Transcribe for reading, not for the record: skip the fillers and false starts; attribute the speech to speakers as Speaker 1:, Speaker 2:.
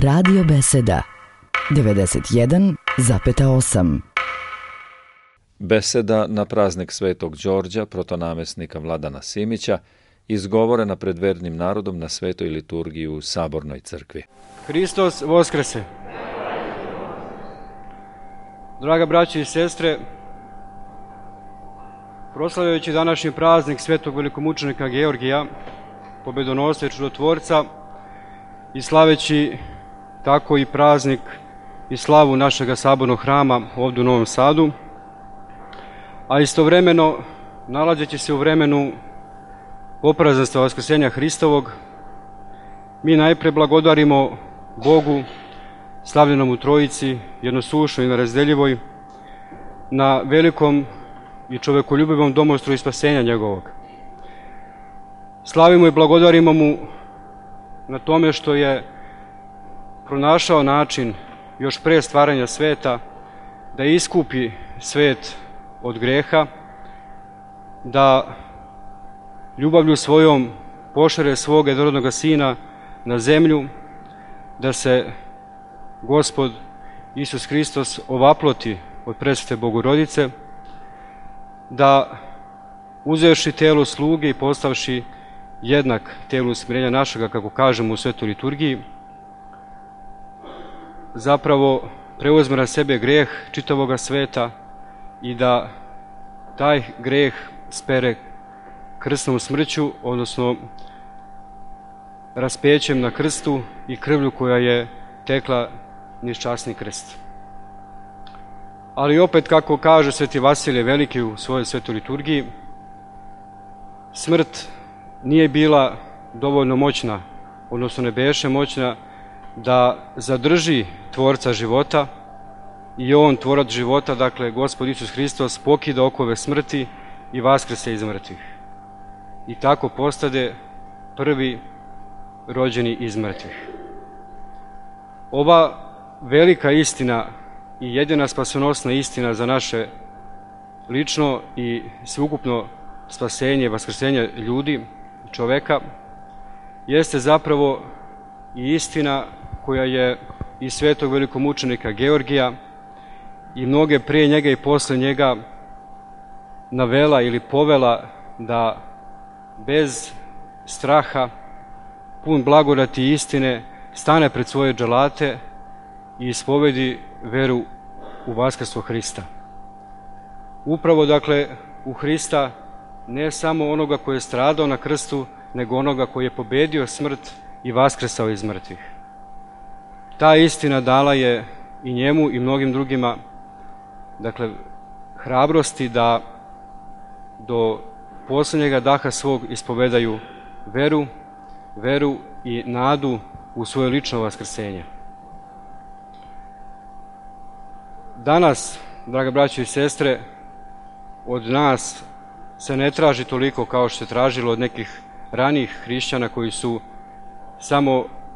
Speaker 1: Radio Beseda 91,8.
Speaker 2: Beseda na praznik Svetog Đorđa, protonamesnika Vladana Simića, izgovorena pred vernim narodom na svetoj liturgiji u Sabornoj crkvi.
Speaker 3: Hristos Voskrese! Draga braće i sestre, proslavljajući današnji praznik svetog velikomučenika Georgija, pobedonosca i čudotvorca, i slaveći tako i praznik i slavu našega sabornog hrama ovdje u Novom Sadu, a istovremeno nalazeći se u vremenu poprazanstva Vaskrsenja Hristovog, mi najpre blagodarimo Bogu, slavljenom u Trojici, jednosušnoj i nerazdeljivoj, na velikom i čovekoljubivom domostru i spasenja njegovog. Slavimo i blagodarimo mu na tome što je pronašao način još pre stvaranja sveta da iskupi svet od greha, da ljubavlju svojom pošalje svoga jednorodnoga Sina na zemlju, da se Gospod Isus Hristos ovaploti od presvete Bogorodice, da uzevši telo sluge i postavši jednak telu smirenja našega, kako kažemo u svetoj liturgiji, zapravo preuzme na sebe greh čitavoga sveta i da taj greh spere krsnom smrću, odnosno raspećem na krstu i krvlju koja je tekla niz časni krst. Ali opet, kako kaže sveti Vasilije Veliki u svojoj svetoj liturgiji, smrt nije bila dovoljno moćna, odnosno ne beše moćna da zadrži tvorca života, i on, tvorac života, dakle Gospod Isus Hristos, pokida okove smrti i vaskrese iz mrtvih. I tako postade prvi rođeni iz mrtvih. Ova velika istina i jedina spasonosna istina za naše lično i sveukupno spasenje, vaskrsenje ljudi, čoveka, jeste zapravo i istina koja je i svetog velikomučenika Georgija i mnoge prije njega i posle njega navela ili povela da bez straha, pun blagodati i istine, stane pred svoje dželate i ispovedi veru u vaskrstvo Hrista. Upravo, dakle, u Hrista, ne samo onoga koji je stradao na krstu, nego onoga koji je pobedio smrt i vaskrsao iz mrtvih. Ta istina dala je i njemu i mnogim drugima, dakle, hrabrosti da do posljednjega daha svog ispovedaju veru i nadu u svoje lično vaskrsenje. Danas, draga braćo i sestre, od nas se ne traži toliko kao što se tražilo od nekih ranijih hrišćana koji su samo